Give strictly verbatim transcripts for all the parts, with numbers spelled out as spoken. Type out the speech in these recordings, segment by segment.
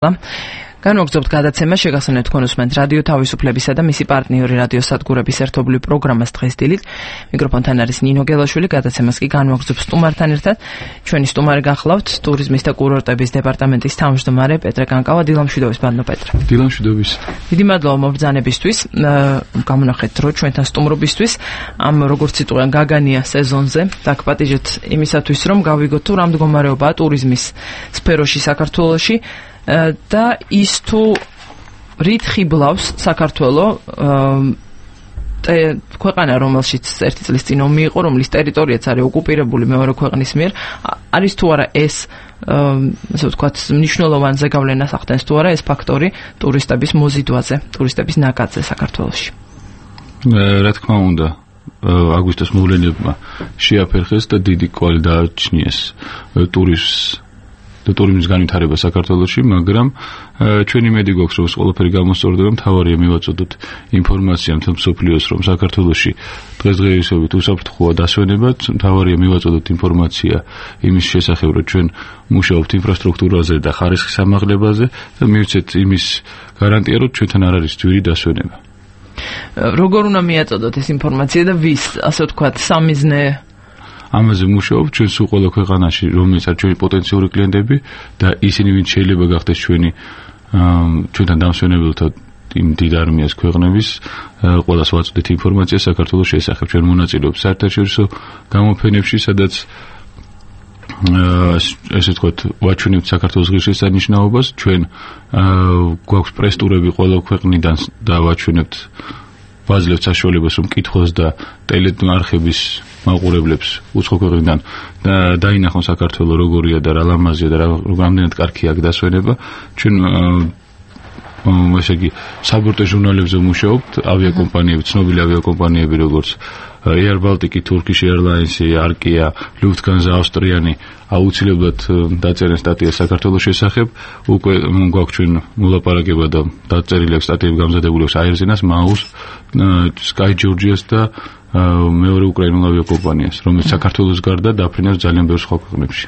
განვაგრძობთ გადაცემა შეგახსენებთ თქვენ უსმენთ რადიო თავისუფლებისა და მისი პარტნიორი რადიო სადგურების ერთობლივ პროგრამას დღეს დილით. მიკროფონთან არის ნინო გელაშვილი, გადაცემას კი განვაგრძობს სტუმართან ერთად. ჩვენი სტუმარი გახლავთ ტურიზმის და კურორტების დეპარტამენტის თავმჯდომარე პეტრე კანკავა. დილამშვიდობის ბატონო პეტრე. დილამშვიდობის. დიდი მადლობა მობრძანებისთვის. გამონახეთ რომ ჩვენთან სტუმრობისთვის ამ როგორც იტყვიან გაგანია სეზონზე დაგპატიჟეთ იმისათვის რომ გავიგოთ თუ რა მდგომარეობაა ტურიზმის სფეროში საქართველოში. და ის თუ რით ხიბლავს საქართველოს ქვეყანა, რომელშიც ერთი წლის წინ ომი იყო, რომლის ტერიტორიაც არის ოკუპირებული მეორე ქვეყნის მიერ, არის თუ არა ეს ასე ვთქვათ მნიშვნელოვან ზეგავლენას ახდენს თუ არა ეს ფაქტორი ტურისტების მოზიდვაზე, ტურისტების ნაკადზე საქართველოში? რა თქმა უნდა, აგვისტოს მოვლენებმა შეაფერხეს და დიდი კვალი დააჩნიეს ტურიზმს და ტურიზმის განვითარება საქართველოში, მაგრამ ჩვენი იმედი გვაქვს, რომ ეს ყველაფერი გამოსწორდება, მთავარია მივაწოდოთ ინფორმაცია მთელ მსოფლიოს, რომ საქართველოში დღესდღეობით უსაფრთხოა დასვენება, მთავარია მივაწოდოთ ინფორმაცია იმის შესახებ, რომ ჩვენ მუშაობთ ინფრასტრუქტურაზე და ხარისხის ამაღლებაზე და მივცეთ იმის გარანტია, რომ ჩვენთან არ არის ძვირი დასვენება. როგორ უნდა მიაწოდოთ ეს ინფორმაცია და ვის, ასე ვთქვათ, სამიზნე ამაზე მუშაობთ ჩვენ სულ ყველა ქვეყანაში, რომელიც არის ჩვენი პოტენციური კლიენტები და ისინი, ვინც შეიძლება გახდეს ჩვენი ჩვენთან დამსვენებელთა იმ დიდ არმიას ქვეყნების, ყველას ვაწოდეთ ინფორმაცია საქართველოს შესახებ. ჩვენ მონაწილეობთ საერთაშორისო გამოფენებში, სადაც ესე ვთქვათ, ვაჩვენებთ საქართველოს ღირსშესანიშნაობას. ჩვენ გვაქვს პრესტურები ყველა ქვეყნიდან და ვაჩვენებთ ვაძლევთ საშუალებას, რომ კითხოს და ტელეარხების მაყურებლებს უცხო ქვეყნიდან დაინახონ საქართველოს როგორია და რა ლამაზია და რამდენად კარგია აქ დასვენება. ჩვენ ესე იგი საბორტე ჟურნალებზე მუშაობთ, ავიაკომპანიები, ცნობილი ავიაკომპანიები როგორც Air Baltic, Turkish Airlines, Arkia, Lufthansa, Austriani აუცილებლად დაწერენ სტატიას საქართველოს შესახებ. უკვე გვაქვს ჩვენ მოლაპარაკება და დაწერილი აქვს სტატიები გამზადებული აქვს Airzenas, Maus, Sky Georgias და მეორე უკრაინულ ავიაკომპანიას, რომელიც საქართველოს გარდა დაფრინავს ძალიან ბევრ სხვა ქვეყნებში.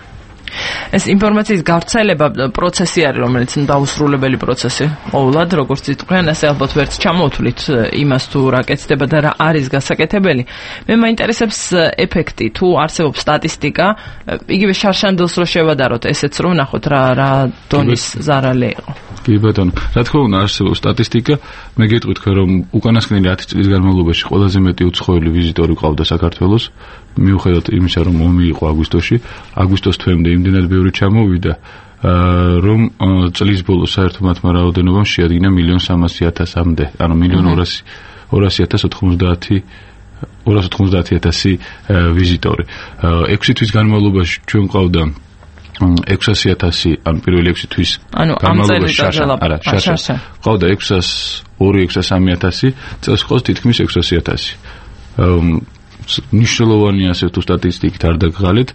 ეს ინფორმაციის გავრცელება პროცესი არის, რომელიც დაუსრულებელი პროცესი. ყოველად, როგორც იტყვიან, ასე ალბათ ვერც ჩამოვთვლით იმას თუ რა კეთდება და რა არის გასაკეთებელი. მე მაინტერესებს ეფექტი, თუ არსებობს სტატისტიკა, იგივე შარშანდელს რო შევადაროთ, ესეც რომ ნახოთ რა რა დონის ზარალი იყო. კი ბატონო, რა თქმა უნდა არსებობს სტატისტიკა. მე გეტყვით თქვენ რომ უკანასკნელი ათი წლის განმავლობაში ყველაზე მეტი უცხოელი ვიზიტორი ყავდა საქართველოს, მიუხედავად იმისა, რომ ომი იყო აგვისტოში, აგვისტოს თვემდე იმდენად ბევრი ჩამოვიდა, რომ წლის ბოლოს საერთო მათმა რაოდენობამ შეადგინა მილიონ სამასი ათასამდე, ანუ მილიონ ორასი ათას ოთხმოცდაათი ორას ოთხმოცდაათი ათასი ვიზიტორი. ექვსი თვის განმავლობაში ჩვენ ყავდა ექვსასი ათასი, ანუ პირველი ექვსი თვის განმავლობაში არა, შარშა. ყავდა ექვსას ორი ექვსას სამი ათასი, წელს ყავს თითქმის ექვსასი ათასი. ნიშნულოვანია ასე თუ სტატისტიკით არ დაგღალეთ,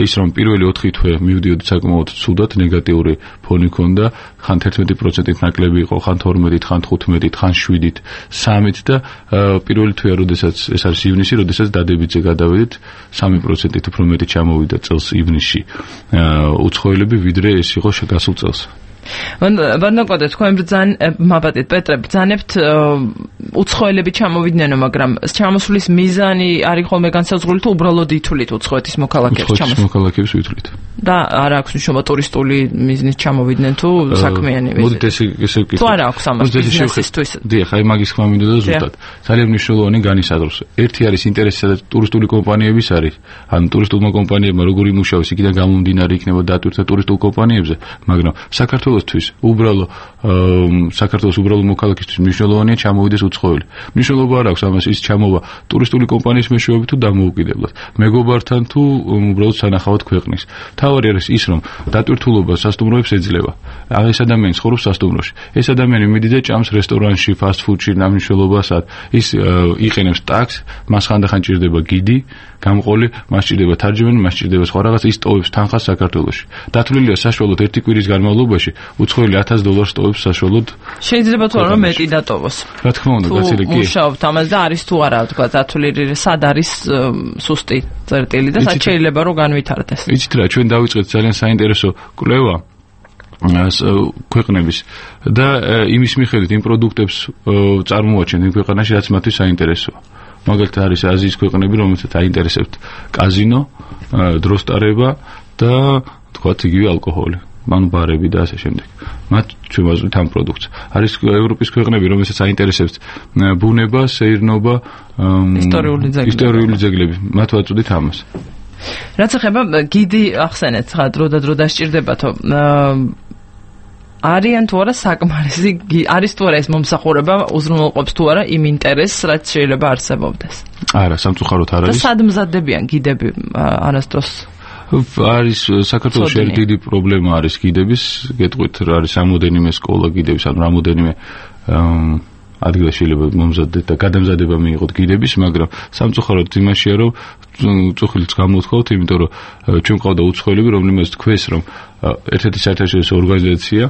ის რომ პირველი ოთხი თვე მივდიოდი საკმაოდ ცუდად, ნეგატიური ფონი ჰქონდა, ხან თერთმეტი პროცენტით ნაკლები იყო, ხან თორმეტით, ხან თხუთმეტით, ხან შვიდით, სამით და პირველი თვეა, როდესაც ეს არის ივნისი, როდესაც დადებითზე გადავედით, სამი პროცენტით უფრო მეტი ჩამოვიდა წელს ივნისში უცხოელები, ვიდრე ეს იყო გასულ წელს. ვანდაკოდე თქვენ ბრძან მაბატეთ პეტრე ბრძანებთ უცხოელები ჩამოვიდნენ, მაგრამ ჩამოსვლის მიზანი არის ხოლმე განსაზღვრული თუ უბრალოდ ითვლით უცხოეთის მოქალაქეებს ჩამოსვლის მოქალაქეებს ვითვლით და არ აქვს მნიშვნელობა ტურისტული მიზნით ჩამოვიდნენ თუ საქმიანი ვიზიტი. მოდით ესე ესე ვკითხოთ. თუ არ აქვს ამას ბიზნესისთვის. დიახ, აი მაგის ხმა მინდა და ზუსტად. ძალიან მნიშვნელოვანი განისაზღვროს. ერთი არის ინტერესი, სადაც ტურისტული კომპანიების არის, ან ტურისტულმა კომპანიებმა როგორ იმუშავეს, იქიდან გამომდინარე იქნება დატვირთვა ტურისტულ კომპანიებზე, მაგრამ საქართველოსთვის უბრალო საქართველოს უბრალო მოქალაქისთვის მნიშვნელოვანია ჩამოვიდეს უცხოელი. მნიშვნელობა არ აქვს ამას ის ჩამოვა ტურისტული კომპანიის მეშვეობით თუ დამოუკიდებლად, მეგობართან თუ უბრალოდ სანახავად ქვეყნის. თავი არის ის, რომ დატვირთულობა სასტუმროებს ეძლევა. ეს ადამიანი ცხოვრობს სასტუმროში. ეს ადამიანი მიდიდა ჭამს რესტორანში, ფასტ-ფუდში, ნამუშევრობასად. ის იყენებს ტაქსს, მას ხანდახან ჭირდება გიდი, გამყოლი, მას ჭირდება თარჯიმანი, მას ჭირდება სხვა რაღაც, ის ტოვებს თანხას საქართველოში. დათვლილია საშუალოდ ერთი კვირის განმავლობაში უცხოელი ათას დოლარს ტოვებს საშუალოდ. შეიძლება თუ არა მეტი დატოვოს. რა თქმა უნდა, გაცილი კი. მუშაობთ ამაზე და არის თუ არა, თქვა დათვლილი სად არის სუსტი წერტილი და სად შეიძლება რომ განვითარდეს. იცით რა, ჩვენ დავიწყეთ ძალიან საინტერესო კვლევა ქვეყნების და იმის მიხედვით იმ პროდუქტებს წარმოაჩენთ იმ ქვეყანაში, რაც მათთვის საინტერესოა. მაგალითად არის აზიის ქვეყნები, რომელთაც აინტერესებთ კაზინო, დროს ტარება და თქვათ იგივე ალკოჰოლი, ანუ ბარები და ასე შემდეგ. მათ ჩვენ ვაზრით ამ პროდუქტს. არის ევროპის ქვეყნები, რომელთაც აინტერესებთ ბუნება, სეირნობა, ისტორიული ძეგლები. მათ ვაწოდით ამას. რაც ეხება გიდი ახსენეთ, ხა დრო და დრო დასჭირდებათო. არიან თუ არა საკმარისი, არის თუ არა ეს მომსახურება უზრუნველყოფს თუ არა იმ ინტერესს, რაც შეიძლება არსებობდეს. არა, სამწუხაროდ არ არის. და სად მზადდებიან გიდები არასდროს? არის საქართველოში ერთ დიდი პრობლემა არის გიდების, გეტყვით რა არის რამოდენიმე სკოლა გიდების, ანუ რამოდენიმე ადგილას შეიძლება მომზადდეთ და გადამზადება მიიღოთ გიდების, მაგრამ სამწუხაროდ იმაშია, რომ წუხილიც გამოვთხოვთ, იმიტომ რომ ჩვენ ყავდა უცხოელები, რომლებიც თქვეს, რომ ერთ-ერთი საერთაშორისო ორგანიზაცია,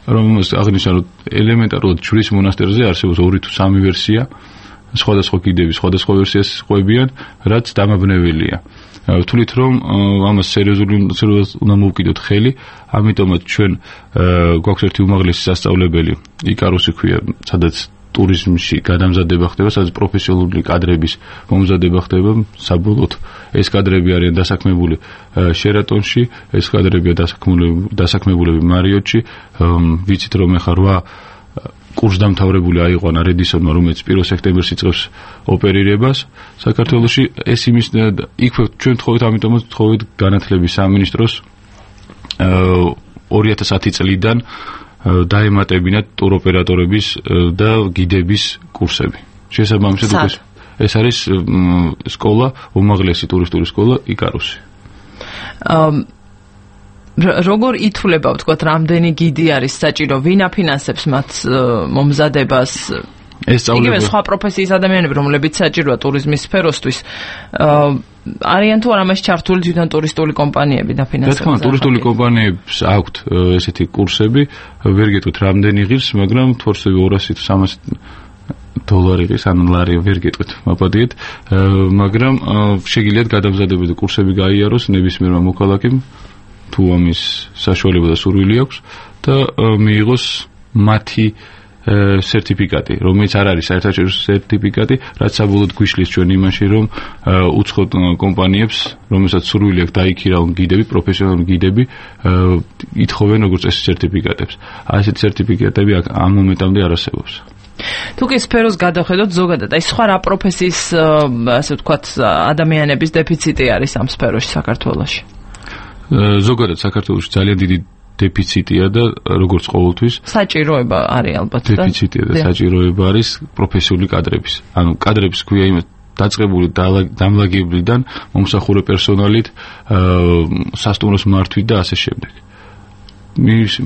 რომელმაც აღნიშნა, რომ ელემენტარულად ჯვრის მონასტერზე არსებობს ორი თუ სამი ვერსია, სხვადასხვა გიდების, სხვადასხვა ვერსიას ყვებიან, რაც დამაბნეველია. ვთვლით, რომ ამას სერიოზული უნდა მოვკიდოთ ხელი, ამიტომაც ჩვენ გვაქვს ერთი უმაღლესი სასწავლებელი, იკარუსი ქვია, სადაც ტურიზმში გადამზადება ხდება, სადაც პროფესიონალური კადრების მომზადება ხდება, საბოლოოდ ეს კადრები არიან დასაქმებული შერატონში, ეს კადრებია დასაქმებულები მარიოტში, ვიცით რომ ახლა რვა კურსდამთავრებული აიყვანა რედისონმა, რომელიც პირველ სექტემბერს იწყებს ოპერირებას საქართველოში. ეს იმის იქვე ჩვენ თხოვით, ამიტომაც თხოვით განათლების სამინისტროს ორი ათას ათი წლიდან დაემატებინათ ტუროპერატორების და გიდების კურსები. შესაბამისად ეს არის სკოლა, უმაღლესი ტურისტული სკოლა იკარუსი. როგორ ითვლება, ვთქვათ, რამდენი გიდი არის საჭირო, ვინ აფინანსებს მათ მომზადებას? ეს სწავლება იგივე სხვა პროფესიის ადამიანები, რომლებიც საჭიროა ტურიზმის სფეროსთვის, არიან თუ არა მას ჩართული თვითონ ტურისტული კომპანიები დაფინანსებენ? რა თქმა უნდა, ტურისტული კომპანიებს აქვთ ესეთი კურსები, ვერ გეტყვით რამდენი ღირს, მაგრამ თორსები ორასი თუ სამასი დოლარი ღირს, ანუ ლარი ვერ გეტყვით, მაპატიეთ, მაგრამ შეგიძლიათ გადამზადებული კურსები გაიაროს ნებისმიერმა მოქალაქემ, თუ ამის საშუალება და სურვილი აქვს და მიიღოს მათი სერტიფიკატი, რომელიც არ არის საერთაშორისო სერტიფიკატი, რაც საბოლოოდ გვიშლის ჩვენ იმაში, რომ უცხო კომპანიებს, რომელსაც სურვილი აქვს დაიქირავონ გიდები, პროფესიონალური გიდები, ითხოვენ როგორც ეს სერტიფიკატებს. ასეთი სერტიფიკატები ამ მომენტამდე არ არსებობს. თუ კი სფეროს გადავხედოთ ზოგადად, აი სხვა რა პროფესიის, ასე ვთქვათ, ადამიანების დეფიციტი არის ამ სფეროში საქართველოში? ზოგადად საქართველოში ძალიან დიდი დეფიციტია და როგორც ყოველთვის საჭიროება არის ალბათ და დეფიციტია და საჭიროება არის პროფესიული კადრების. ანუ კადრების ქვია იმას დაწყებული დამლაგებლიდან მომსახურე პერსონალით, სასტუმროს მართვით და ასე შემდეგ.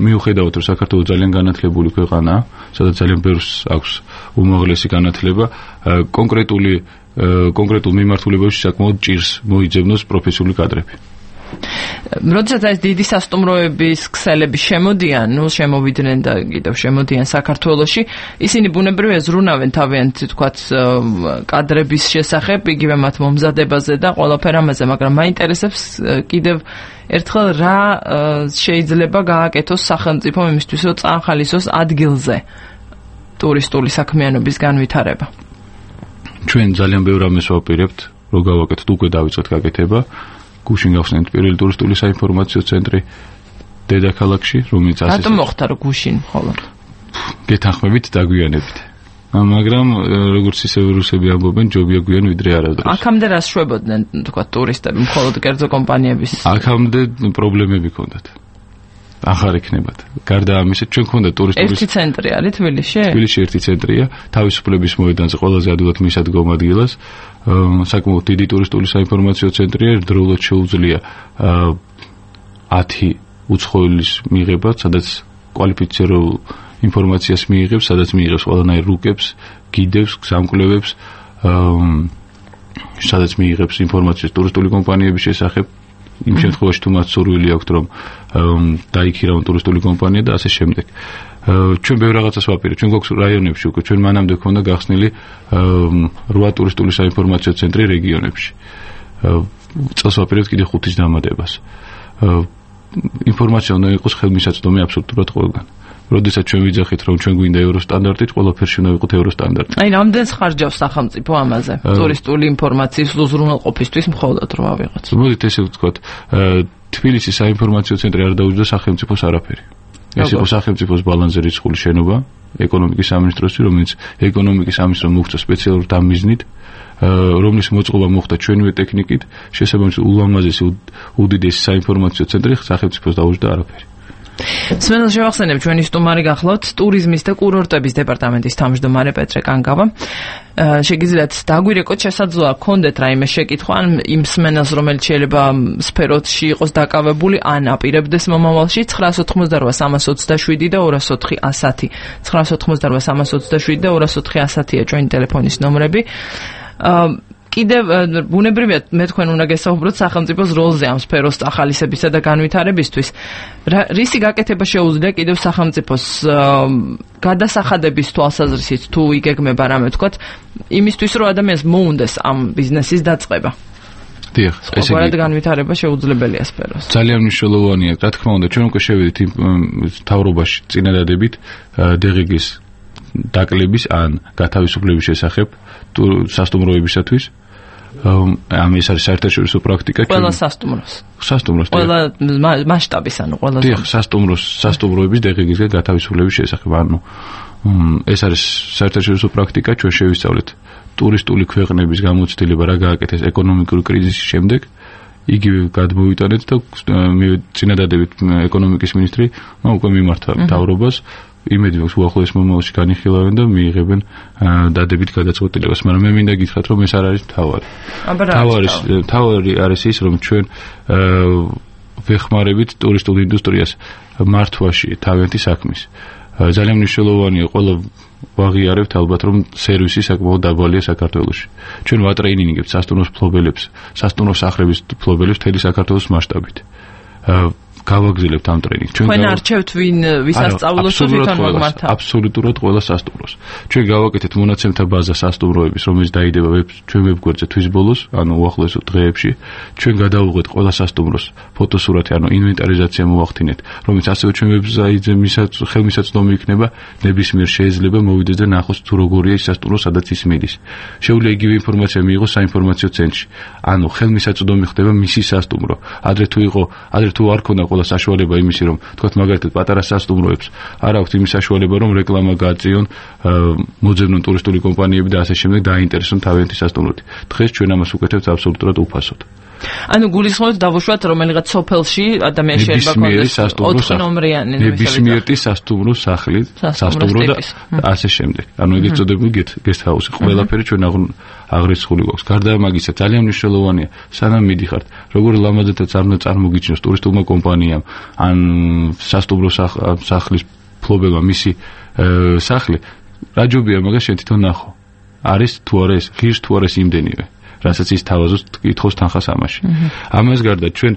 მიუხედავად რომ საქართველოს ძალიან განათლებული ქვეყანაა, სადაც ძალიან ბევრს აქვს უმაღლესი განათლება, კონკრეტული კონკრეტულ მიმართულებებში საკმაოდ ჭირს მოიძებნოს პროფესიული კადრები. როდესაც ეს დიდი სასტუმროების ქსელები შემოდიან, ნუ შემოვიდნენ და კიდევ შემოდიან საქართველოში, ისინი ბუნებრივია ზრუნავენ თავიანთ, თქვათ, კადრების შესახებ, იგივე მათ მომზადებაზე და ყველაფერ ამაზე, მაგრამ მაინტერესებს კიდევ ერთხელ რა შეიძლება გააკეთოს სახელმწიფომ იმისთვის, რომ წაახალისოს ადგილზე ტურისტული საქმიანობის განვითარება. ჩვენ ძალიან ბევრ ამას ვაპირებთ, რომ გავაკეთოთ, უკვე დავიწყეთ გაკეთება. გუშინ გავხსნით პირველი ტურისტული საინფორმაციო ცენტრი დედაქალაქში, რომელიც ასე რატომ მოხდა რომ გუშინ მხოლოდ? გეთანხმებით დაგვიანებით. მაგრამ როგორც ისე რუსები ამბობენ, ჯობია გვიან ვიდრე არასდროს. აქამდე რას შვებოდნენ, თქვა ტურისტები, მხოლოდ კერძო კომპანიების? აქამდე პრობლემები ჰქონდათ. ახარ იქნებათ. გარდა ამისა, ჩვენ გვქონდა ტურისტული ერთი ცენტრი არის თბილისში? თბილისში ერთი ცენტრია, თავისუფლების მოედანზე ყველაზე ადვილად მისადგომ ადგილას. საკმაოდ დიდი ტურისტული საინფორმაციო ცენტრია, ერთდროულად შეუძლია ათი უცხოელის მიღება, სადაც კვალიფიცირებულ ინფორმაციას მიიღებს, სადაც მიიღებს ყველანაირ რუკებს, გიდებს, გზამკვლევებს, სადაც მიიღებს ინფორმაციას ტურისტული კომპანიების შესახებ. იმ შემთხვევაში თუ მათ სურვილი აქვთ რომ დაიქირავონ ტურისტული კომპანია და ასე შემდეგ. ჩვენ ბევრ რაღაცას ვაპირებთ. ჩვენ გვაქვს რაიონებში უკვე ჩვენ მანამდე ქონდა გახსნილი რვა ტურისტული საინფორმაციო ცენტრი რეგიონებში. წელს ვაპირებთ კიდე ხუთის დამატებას. ინფორმაცია უნდა იყოს ხელმისაწვდომი აბსოლუტურად ყველგან. როდესაც ჩვენ ვიძახით, რომ ჩვენ გვინდა ევროსტანდარტით, ყველაფერში უნდა იყოს ევროსტანდარტი. აი, რამდენს ხარჯავს სახელმწიფო ამაზე? ტურისტული ინფორმაციის უზრუნველყოფისთვის მხოლოდ რა ვიღაც. მოდით ესე ვთქვათ, თბილისის საინფორმაციო ცენტრი არ დაუჯდა სახელმწიფოს არაფერი. ეს იყო სახელმწიფოს ბალანსზე რიცხული შენობა, ეკონომიკის სამინისტროსი, რომელიც ეკონომიკის სამინისტრომ მოხდა სპეციალურ დამიზნით, რომლის მოწყობა მოხდა ჩვენივე ტექნიკით, შესაბამისად ულამაზესი უდიდესი საინფორმაციო ცენტრი სახელმწიფოს დაუჯდა არაფერი. სმენელს შევახსენებ, ჩვენი სტუმარი გახლავთ ტურიზმის და კურორტების დეპარტამენტის თავმჯდომარე პეტრე კანგავა. შეგიძლიათ დაგვირეკოთ, შესაძლოა გქონდეთ რაიმე შეკითხვა ან იმ სმენელს, რომელიც შეიძლება სფეროში იყოს დაკავებული ან აპირებდეს მომავალში ცხრას ოთხმოცდარვა სამას ოცდაშვიდი და ორას ოთხი ასათი. ცხრას ოთხმოცდარვა სამას ოცდაშვიდი და ორას ოთხი ასათია ჩვენი ტელეფონის ნომრები. კიდევ ბუნებრივია მე თქვენ უნდა გესაუბროთ სახელმწიფოს როლზე ამ სფეროს ახალისებისა და განვითარებისთვის. რისი გაკეთება შეუძლია კიდევ სახელმწიფოს გადასახადების თვალსაზრისით თუ იგეგმება რამე ვთქვათ, იმისთვის რომ ადამიანს მოუნდეს ამ ბიზნესის დაწყება. დიახ, ესე იგი განვითარება შეუძლებელია სფეროს. ძალიან მნიშვნელოვანია, რა თქმა უნდა, ჩვენ უკვე შევედით იმ თავრობაში წინადადებით დეგეგის დაკლების ან გათავისუფლების შესახებ სასტუმროებისათვის. ამ ეს არის საერთაშორისო პრაქტიკა. ყველა სასტუმროს. სასტუმროს. ყველა მასშტაბის, ანუ ყველა. დიახ, სასტუმროს, სასტუმროების დეგეგისგან გათავისუფლების შესახებ. ანუ ეს არის საერთაშორისო პრაქტიკა, ჩვენ შევისწავლეთ ტურისტული ქვეყნების გამოცდილება რა გააკეთეს ეკონომიკური კრიზისის შემდეგ. იგივე გადმოვიტანეთ და წინადადებით ეკონომიკის მინისტრი უკვე მიმართა მთავრობას. იმედი მაქვს უახლოეს მომავალში განიხილავენ და მიიღებენ დადებით გადაწყვეტილებას, მაგრამ მე მინდა გითხრათ, რომ ეს არ არის თავარი. თავარი თავარი არის ის, რომ ჩვენ ვეხმარებით ტურისტულ ინდუსტრიას მართვაში თავიანთი საქმის. ძალიან მნიშვნელოვანია ყველა ვაღიარებთ ალბათ, რომ სერვისი საკმაოდ დაბალია საქართველოში. ჩვენ ვატრეინინგებთ სასტუმროს მფლობელებს, სასტუმრო სახლების მფლობელებს მთელი საქართველოს მასშტაბით. გავაგზავნებთ ამ ტრენინგს. ჩვენ არჩევთ ვინ ვისასწავლოს თუ თვითონ მოგმართა. აბსოლუტურად ყველა სასტუმროს. ჩვენ გავაკეთეთ მონაცემთა ბაზა სასტუმროების, რომელიც დაიდება ჩვენ ვებგვერდზე თვის ბოლოს, ანუ უახლოეს დღეებში. ჩვენ გადავუღეთ ყველა სასტუმროს ფოტოსურათი, ანუ ინვენტარიზაცია მოვახდინეთ, რომელიც ასევე ჩვენ ვებსაიტზე ხელმისაწვდომი იქნება, ნებისმიერ შეიძლება მოვიდეს და ნახოს თუ როგორია ის სასტუმრო, სადაც ის მიდის. შეუძლია იგივე ინფორმაცია მიიღოს საინფორმაციო ცენტრში. ანუ ხელმისაწვდომი ხდება მისი სასტუმრო. ადრე თუ იყო, ადრე თუ არ ქონდა ყველა საშუალება იმისი, რომ თქვათ მაგალითად პატარა სასტუმროებს არ აქვთ იმის საშუალება, რომ რეკლამა გააწიონ, მოძებნონ ტურისტული კომპანიები და ასე შემდეგ დაინტერესონ თავიანთი სასტუმროთი. დღეს ჩვენ ამას უკეთებთ აბსოლუტურად უფასოდ. ანუ გულისხმობთ დავუშვათ რომელიღაც სოფელში ადამიანს შეიძლება კონდეს ოთხ ნომრიანი ნებისმიერი სასტუმრო სახლი, სასტუმრო და ასე შემდეგ. ანუ ეგეც წოდებული guest house. ყველაფერი ჩვენ აღრიცხული გვაქვს. გარდა ამისა ძალიან მნიშვნელოვანია, სანამ მიდიხართ, როგორ ლამაზადაც არ უნდა წარმოგიჩნიოს ტურისტულმა კომპანიამ ან სასტუმრო სახლის მფლობელმა მისი სახლი, რა ჯობია მაგას შენ თვითონ ნახო. არის თუ არა ეს, ღირს თუ არა ეს იმდენივე. რასაც ის თავაზობს კითხოს თანხას ამაში. ამას გარდა ჩვენ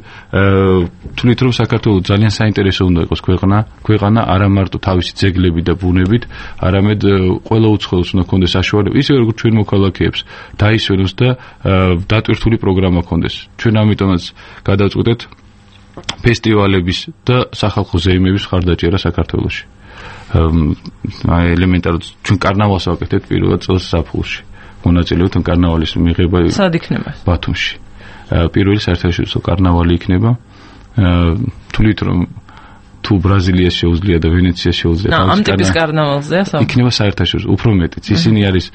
თვლით, რომ საქართველოს ძალიან საინტერესო უნდა იყოს ქვეყანა, ქვეყანა არა მარტო თავისი ძეგლები და ბუნებით, არამედ ყველა უცხოელს უნდა ქონდეს საშუალება, ისე როგორც ჩვენ მოქალაქეებს დაისვენოს და დატვირთული პროგრამა ქონდეს. ჩვენ ამიტომაც გადავწყვეტეთ ფესტივალების და სახალხო ზეიმების ხარდაჭერა საქართველოში. აი ელემენტარულად ჩვენ კარნავალს ვაკეთებთ პირველად წელს ზაფხულში. მონაწილეობთ კარნავალის მიღება სად იქნება? ბათუმში. პირველი საერთაშორისო კარნავალი იქნება. თვლით რომ თუ ბრაზილიას შეუძლია და ვენეციას შეუძლია. ამ ტიპის კარნავალზეა საუბარი. იქნება საერთაშორისო, უფრო მეტიც. ისინი არის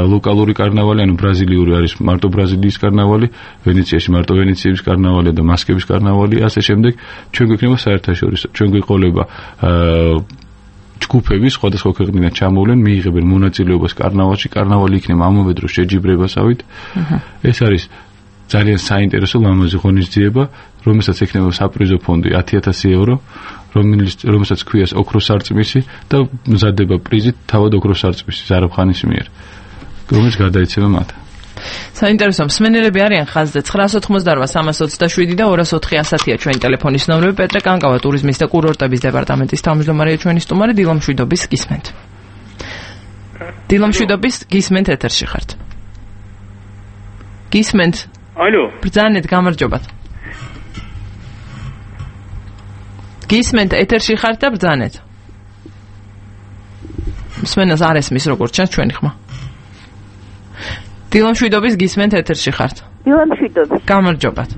ლოკალური კარნავალი, ანუ ბრაზილიური არის მარტო ბრაზილიის კარნავალი, ვენეციაში მარტო ვენეციის კარნავალი და მასკების კარნავალი, ასე შემდეგ. ჩვენ გვექნება საერთაშორისო. ჩვენ გვიყოლება ჯგუფები სხვადასხვა ქვეყნიდან ჩამოვლენ, მიიღებენ მონაწილეობას კარნავალში, კარნავალი იქნება ამავე დროს შეჯიბრებასავით. ეს არის ძალიან საინტერესო ლამაზი ღონისძიება, რომელსაც ექნება საპრიზო ფონდი ათი ათასი ევრო, რომელსაც ქვიას ოქროს სარწმისი და მზადდება პრიზით თავად ოქროს სარწმისი ზარაფხანის მიერ, რომელიც გადაეცემა მათ. საინტერესო მსმენელები არიან ხაზზე ცხრას ოთხმოცდარვა სამას ოცდაშვიდი და ორას ოთხი ასათია ჩვენი ტელეფონის ნომრები. პეტრე კანგავა ტურიზმის და კურორტების დეპარტამენტის თავმჯდომარეა ჩვენი სტუმარი. დილა მშვიდობის გისმენთ. დილა მშვიდობის გისმენთ ეთერში ხართ. გისმენთ. ალო. ბრძანეთ გამარჯობათ. გისმენთ ეთერში ხართ და ბრძანეთ. მსმენელს არ ესმის როგორც ჩანს ჩვენი ხმა. დილამშვიდობის გისმენთ ეთერში ხართ. დილამშვიდობის. გამარჯობათ.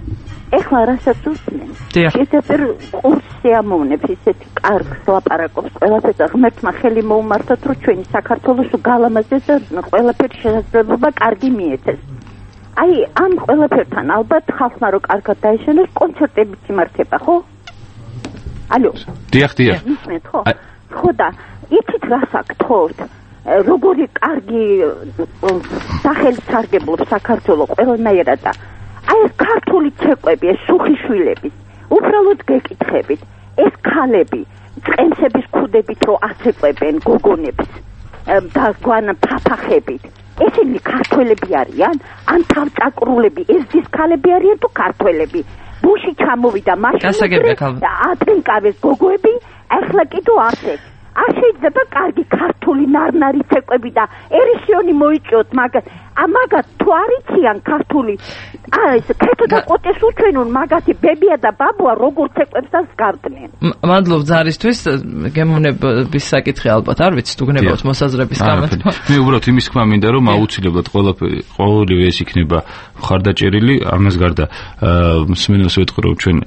ეხლა რასაც უსმენ. დიახ. კიდევ კურსი ამოვნებს ისეთი კარგს ლაპარაკობს ყველაფერს და ღმერთმა ხელი მოუმართოთ რომ ჩვენი საქართველოს გალამაზეს და ყველაფერი შესაძლებლობა კარგი მიეცეს. აი ამ ყველაფერთან ალბათ ხალხმა რო კარგად დაეშენოს კონცერტებიც იმართება ხო? ალო. დიახ, დიახ. ისმენთ ხო? ხო და იცით რას აქთორთ? როგორი კარგი სახელით სარგებლობს საქართველოს ყველანაირად და აი ეს ქართული ცეკვები, ეს სუხიშვილები, უბრალოდ გეკითხებით, ეს ქალები წყენსების ქუდებით რო აცეკვებენ გოგონებს და გვან ფაფახებით, ესენი ქართველები არიან? ან თავწაკრულები, ერთის ქალები არიან თუ ქართველები? ბუში ჩამოვიდა მაშინები და ატენკავეს გოგოები, ახლა კიდო ასე. არ შეიძლება კარგი ქართული ნარნარი ცეკვები და ერისიონი მოიჭიოთ მაგათ. ამაგათ თუ არიციან ქართული აი ეს ქეთო და ყოტეს უჩვენონ მაგათი ბებია და ბაბუა როგორ ცეკვებსაც გარდნენ. მადლობ ზარისთვის, გემოვნების საკითხი ალბათ არ ვიცი თუ გნებავთ მოსაზრების გამართვა. მე უბრალოდ იმის თქმა მინდა რომ აუცილებლად ყველაფერი ყოველივე ეს იქნება მხარდაჭერილი, ამას გარდა მსმენელს ვეთქვი რომ ჩვენ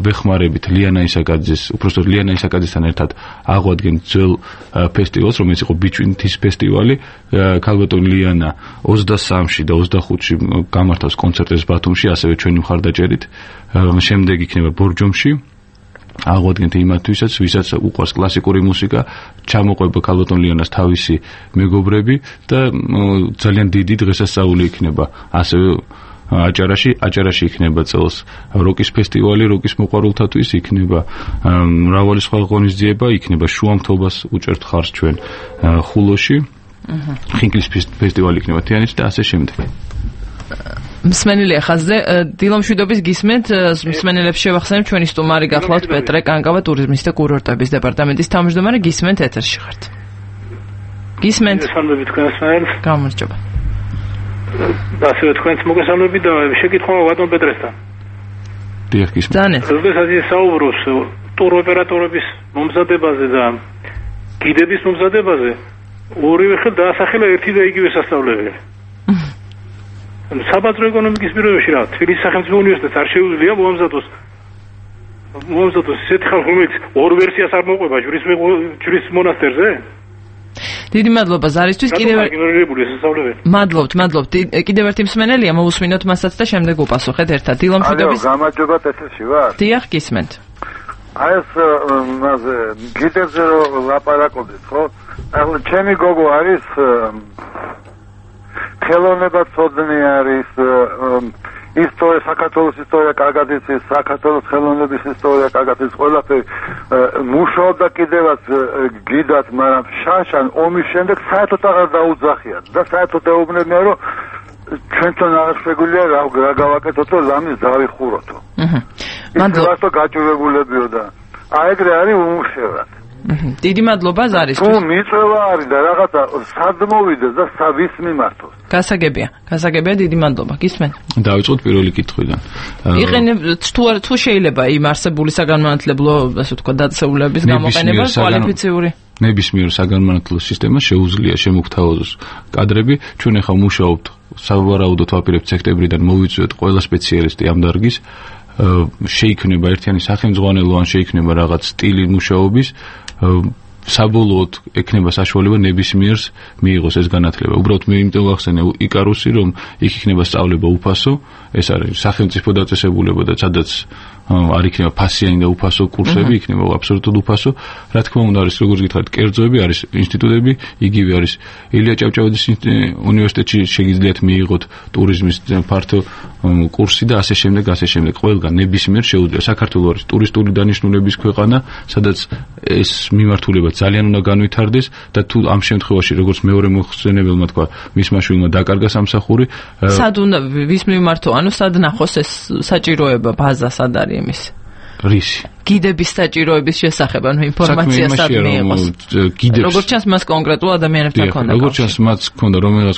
ვეხმარებით ლიანა ისაკაძეს, უბრალოდ ლიანა ისაკაძესთან ერთად აღვადგენ ძველ ფესტივალს, რომელიც იყო ბიჭვინთის ფესტივალი. ქალბატონი ლიანა ოცდასამში და ოცდახუთში გამართავს კონცერტებს ბათუმში, ასევე ჩვენი მხარდაჭერით. შემდეგ იქნება ბორჯომში. აღვადგენთ იმათვისაც, ვისაც უყვარს კლასიკური მუსიკა, ჩამოყვება ქალბატონ ლიანას თავისი მეგობრები და ძალიან დიდი დღესასწაული იქნება. ასევე აჭარაში, აჭარაში იქნება წელს როკის ფესტივალი, როკის მოყვარულთათვის იქნება მრავალი სხვა ღონისძიება, იქნება შუამთობას უჭერთ ხარს ჩვენ ხულოში. ხინკლის ფესტივალი იქნება თიანეთში და ასე შემდეგ. მსმენელი ახაზზე დილამშვიდობის გისმენთ, მსმენელებს შევახსენებ ჩვენი სტუმარი გახლავთ პეტრე კანკავა ტურიზმის და კურორტების დეპარტამენტის თავმჯდომარე. გისმენთ ეთერში ხართ. გისმენთ. მოგესალმებით თქვენს მერს. გამარჯობა. ასევე თქვენს მოგესალმებით და შეკითხვა ბატონ პეტრესთან. დიახ, გისმენთ. ძანეთ. როდესაც ის საუბრობს ტურ ოპერატორების მომზადებაზე და გიდების მომზადებაზე, ორივე ხელ დაასახელა ერთი და იგივე სასწავლებელი. საბაზრო ეკონომიკის პირობებში რა, თბილისის სახელმწიფო უნივერსიტეტს არ შეუძლია მოამზადოს მოამზადოს ისეთი ხალხი, რომელიც ორ ვერსიას არ მოყვება ჯვრის ჯვრის მონასტერზე? დიდი მადლობა ზარისთვის. კიდევ მადლობთ, მადლობთ. კიდევ ერთი მსმენელია, მოусმინოთ მასაც და შემდეგ უპასუხეთ ერთად. დილამშვიდობის. ალო, გამარჯობათ, ეთერში ვარ? დიახ, გისმენთ. აი ეს მასე გიდებზე რომ ლაპარაკობთ, ხო? ახლა ჩემი გოგო არის ხელოვნება ცოდნე არის, ისტორია, საქართველოს ისტორია კარგად იცის, საქართველოს ხელოვნების ისტორია კარგად იცის, ყველაფერი მუშაობდა კიდევაც გიდად, მაგრამ შაშან ომის შემდეგ საერთოდ აღარ დაუძახიათ და საერთოდ ეუბნებიან რომ ჩვენთან არ შეგვიძლია რა გავაკეთოთო, ლამის დავიხუროთო. აჰა. მადლობა. მანდ გაჭირებულებიო და აი ეგრე არის უმუშევრად. დიდი მადლობა ზარისთვის. თუ მიწვევა არის და რაღაცა სად მოვიდეს და ვის მიმართოს. გასაგებია, გასაგებია, დიდი მადლობა. გისმენთ? დავიწყოთ პირველი კითხვიდან. იყენებ თუ თუ შეიძლება იმ არსებული საგანმანათლებლო, ასე ვთქვა, დაწესებულების გამოყენება კვალიფიციური? ნებისმიერ საგანმანათლებლო სისტემას შეუძლია შემოგთავაზოს კადრები. ჩვენ ახლა მუშაობთ, სავარაუდოდ ვაპირებთ სექტემბრიდან მოვიწვიოთ ყველა სპეციალისტი ამ დარგის. შეიქმნება ერთიანი სახელმძღვანელო ან შეიქმნება რაღაც სტილი მუშაობის, საბოლოოდ ექნება საშუალება ნებისმიერს მიიღოს ეს განათლება. უბრალოდ მე იმიტომ ვახსენე იკარუსი, რომ იქ იქნება სწავლება უფასო, ეს არის სახელმწიფო დაწესებულება და სადაც არ იქნება ფასიანი და უფასო კურსები, იქნება აბსოლუტურად უფასო. რა თქმა უნდა არის, როგორც გითხარით, კერძოები არის ინსტიტუტები, იგივე არის ილია ჭავჭავაძის უნივერსიტეტში შეგიძლიათ მიიღოთ ტურიზმის ფართო კურსი და ასე შემდეგ, ასე შემდეგ. ყველგან ნებისმიერ შეუძლია. საქართველოს არის ტურისტული დანიშნულების ქვეყანა, სადაც ეს მიმართულება ძალიან უნდა განვითარდეს და თუ ამ შემთხვევაში როგორც მეორე მოხსენებელმა თქვა, მისმა შვილმა დაკარგა სამსახური, სად უნდა ვის მიმართო, ანუ სად ნახოს ეს საჭიროება, ბაზა სად არის იმის? რისი? გიდების საჭიროების შესახებ, ანუ ინფორმაცია სად მიიღოს? როგორც ჩანს მას კონკრეტულ ადამიანებთან ქონდა. როგორც ჩანს მას ქონდა რომელიღაც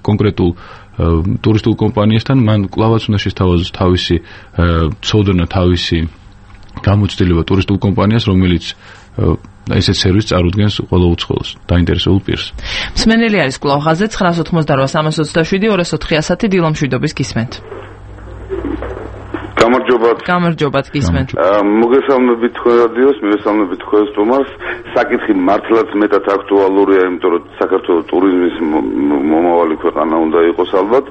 კონკრეტულ ტურისტულ კომპანიასთან, მან კლავაც უნდა შესთავაზოს თავისი ცოდნა, თავისი გამოცდილება ტურისტულ კომპანიას, რომელიც ესეთ სერვისს წარუდგენს ყველა უცხოელს, დაინტერესებულ პირს. მსმენელი არის კვლავ ხაზზე nine eight eight eight three two seven two four three დილო მშვიდობის გისმენთ. გამარჯობათ. გამარჯობათ გისმენთ. მოგესალმებით თქვენ რადიოს, მივესალმებით თქვენ სტუმარს. საკითხი მართლაც მეტად აქტუალურია, იმიტომ რომ საქართველოს ტურიზმის მომავალი ქვეყანა უნდა იყოს ალბათ.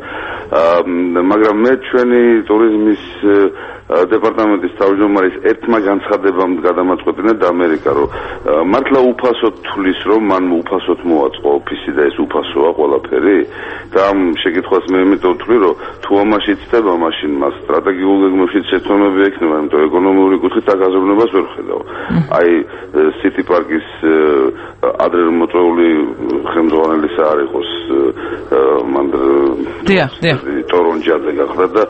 მაგრამ მე ჩვენი ტურიზმის დეპარტამენტის თავმჯდომარის ერთმა განცხადებამ გადამაწყვეტინა და ამერიკა რომ მართლა უფასოდ თulis რომ მან უფასოდ მოაწყო ოფისი და ეს უფასოა ყველაფერი და ამ შეკითხვას მე იმიტომ ვთვლი რომ თუ ამაში ცდება მაშინ მას სტრატეგიულ გეგმებში შეცდომები ექნება იმიტომ ეკონომიური კუთხით დაგაზრდნობას ვერ ხედავ აი სიტი პარკის ადრე მოწვეული ხელმძღვანელის არ იყოს მან დიახ დიახ ტორონჯაძე გახდა და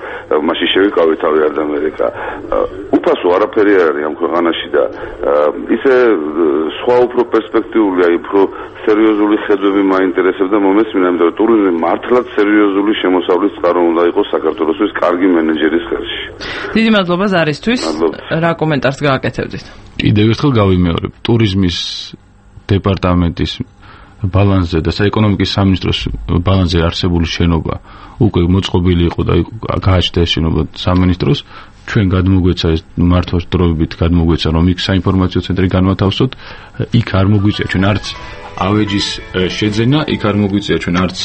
მაშინ შევიკავე თავი არ და უფასო არაფერი არ არის ამ ქვეყანაში და ისე სხვა უფრო პერსპექტიული აი უფრო სერიოზული ხედვები მაინტერესებდა მომესმინა იმიტომ რომ ტურიზმი მართლაც სერიოზული შემოსავლის წყარო უნდა იყოს საქართველოსთვის კარგი მენეჯერის ხელში. დიდი მადლობა ზარისთვის. რა კომენტარს გააკეთებდით? კიდევ ერთხელ გავიმეორებ, ტურიზმის დეპარტამენტის ბალანსზე და საეკონომიკის სამინისტროს ბალანსზე არსებული შენობა უკვე მოწყობილი იყო და გააჩნდა ეს შენობა სამინისტროს ჩვენ გადმოგვეცა ეს მართვას დროებით გადმოგვეცა რომ იქ საინფორმაციო ცენტრი განვათავსოთ იქ არ მოგვიწია ჩვენ არც ავეჯის შეძენა იქ არ მოგვიწია ჩვენ არც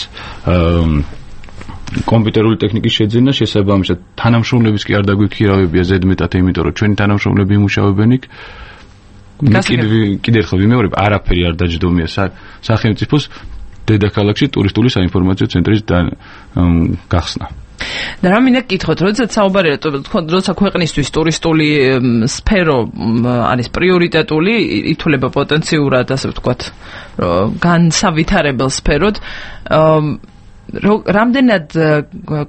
კომპიუტერული ტექნიკის შეძენა შესაბამისად თანამშრომლების კი არ დაგვიქირავებია ზედმეტად იმიტომ რომ ჩვენი თანამშრომლები იმუშავებენ იქ კიდევ ერთხელ ვიმეორებ არაფერი არ დაჯდომია სახელმწიფოს დედაქალაქში ტურისტული საინფორმაციო ცენტრის გახსნა. და რა მინდა გკითხოთ, როდესაც საუბარია როცა ქვეყნისთვის ტურისტული სფერო არის პრიორიტეტული, ითვლება პოტენციურად, ასე ვთქვათ, განსავითარებელ სფეროდ, რამდენად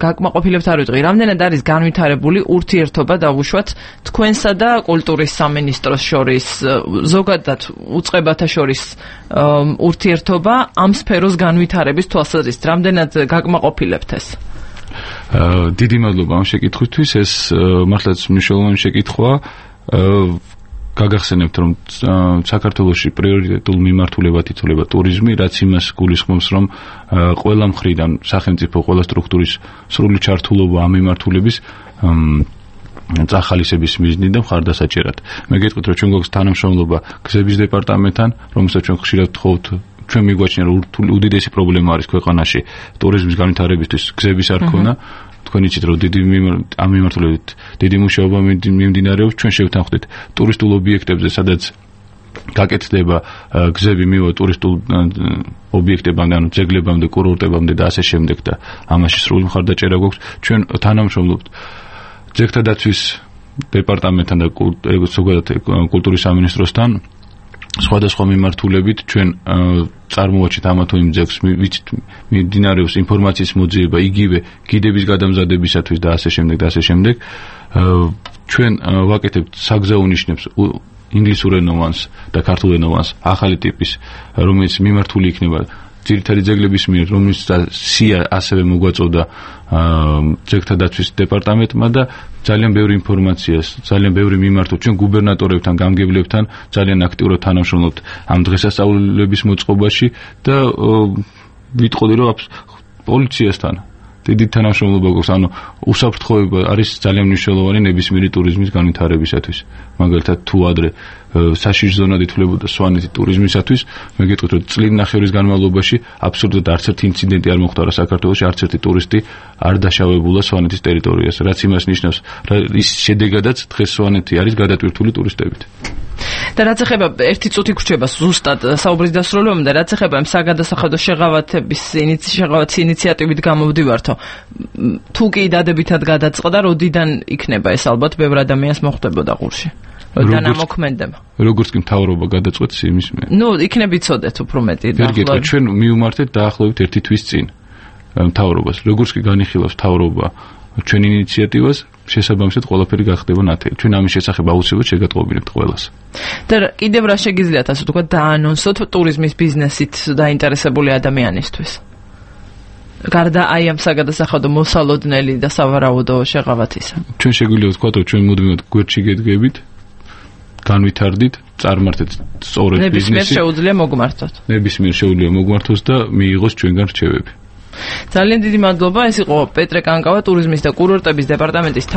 გაკმაყოფილებთ არ ვიტყვი, რამდენად არის განვითარებული ურთიერთობა დავუშვათ თქვენსა და კულტურის სამინისტროს შორის, ზოგადად უწყებათა შორის ურთიერთობა ამ სფეროს განვითარების თვალსაზრისით, რამდენად გაკმაყოფილებთ ეს? დიდი მადლობა ამ შეკითხვისთვის, ეს მართლაც მნიშვნელოვანი შეკითხვაა. გაგახსენებთ რომ საქართველოში პრიორიტეტულ მიმართულებად ითვლება ტურიზმი, რაც იმას გულისხმობს რომ ყველა მხრიდან სახელმწიფო ყველა სტრუქტურის სრული ჩართულობა ამ მიმართულების წახალისების მიზნით და მხარდასაჭერად. მე გეტყვით რომ ჩვენ გვაქვს თანამშრომლობა გზების დეპარტამენტთან, რომელსაც ჩვენ ხშირად ვთხოვთ ჩვენ მიგვაჩნია რომ უდიდესი პრობლემა არის ქვეყანაში ტურიზმის განვითარებისთვის გზების არ ქონა. თქვენ იცით რომ დიდი ამ მიმართულებით დიდი მუშაობა მიმდინარეობს ჩვენ შევთანხმდით ტურისტულ ობიექტებზე სადაც გაკეთდება გზები მივა ტურისტულ ობიექტებამდე ანუ ძეგლებამდე კურორტებამდე და ასე შემდეგ და ამაში სრული მხარდაჭერა გვაქვს ჩვენ თანამშრომლობთ ძეგლთა დაცვის დეპარტამენტთან და ზოგადად კულტურის სამინისტროსთან სხვადასხვა მიმართულებით ჩვენ წარმოვაჩით ამა თუ იმ ძეგლს ვიცით მიმდინარეობს ინფორმაციის მოძიება იგივე გიდების გადამზადებისათვის და ასე შემდეგ და ასე შემდეგ ჩვენ ვაკეთებთ საგზაო ნიშნებს ინგლისურ ენოვანს და ქართულ ენოვანს ახალი ტიპის რომელიც მიმართული იქნება ძირითადი ძეგლების მიერ რომელიც სია ასევე მოგვაწოდა ძეგლთა დაცვის დეპარტამენტმა და ძალიან ბევრი ინფორმაციას, ძალიან ბევრი მიმართო ჩვენ გუბერნატორებთან, გამგებლებთან ძალიან აქტიურად თანამშრომლობთ ამ დღესასწაულების მოწყობაში და ვიტყოდი რომ პოლიციასთან დიდი თანამშრომლობა გვაქვს, ანუ უსაფრთხოება არის ძალიან მნიშვნელოვანი ნებისმიერი ტურიზმის განვითარებისათვის. მაგალითად თუ ადრე საშიშ ზონად ითვლებოდა სვანეთი ტურიზმისათვის, მე გეტყვით რომ წლით ნახევრის განმავლობაში აბსოლუტურად არც ერთი ინციდენტი არ მოხდა საქართველოში, არც ერთი ტურისტი არ დაშავებულა სვანეთის ტერიტორიაზე, რაც იმას ნიშნავს, ის შედეგადაც დღეს სვანეთი არის გადატვირთული ტურისტებით. და რაც ეხება ერთი წუთი გრჩება ზუსტად საუბრის დასრულებამდე, რაც ეხება ამ საგადასახადო შეღავათების შეღავათის ინიციატივით გამოვდივართო. თუ კი დადებითად გადაწყდა, როდიდან იქნება ეს ალბათ ბევრ ადამიანს მოხვდებოდა ყურში. როდიდან ამოქმედება. როგორც კი მთავრობა გადაწყვეტს იმის მე. ნუ იქნებ იცოდეთ უფრო მეტი დაახლოებით. ჩვენ მივმართეთ დაახლოებით ერთი თვის წინ მთავრობას. როგორც კი განიხილავს მთავრობა ჩვენ ინიციატივას, შესაბამისად ყველაფერი გახდება ნათელი. ჩვენ ამის შესახებ აუცილებლად შეგატყობინებთ ყველას. და კიდევ რა შეგიძლიათ ასე ვთქვათ დაანონსოთ ტურიზმის ბიზნესით დაინტერესებული ადამიანისთვის? გარდა აი ამ საგადასახადო მოსალოდნელი და სავარაუდო შეღავათისა. ჩვენ შეგვიძლია ვთქვათ, რომ ჩვენ მუდმივად გვერდში გედგებით, განვითარდით, წარმართეთ სწორედ ბიზნესი. ნებისმიერ შეუძლია მოგმართოთ. ნებისმიერ შეუძლია მოგმართოს და მიიღოს ჩვენგან რჩევები. ძალიან დიდი მადლობა, ეს იყო პეტრე კანკავა, ტურიზმის და კურორტების დეპარტამენტის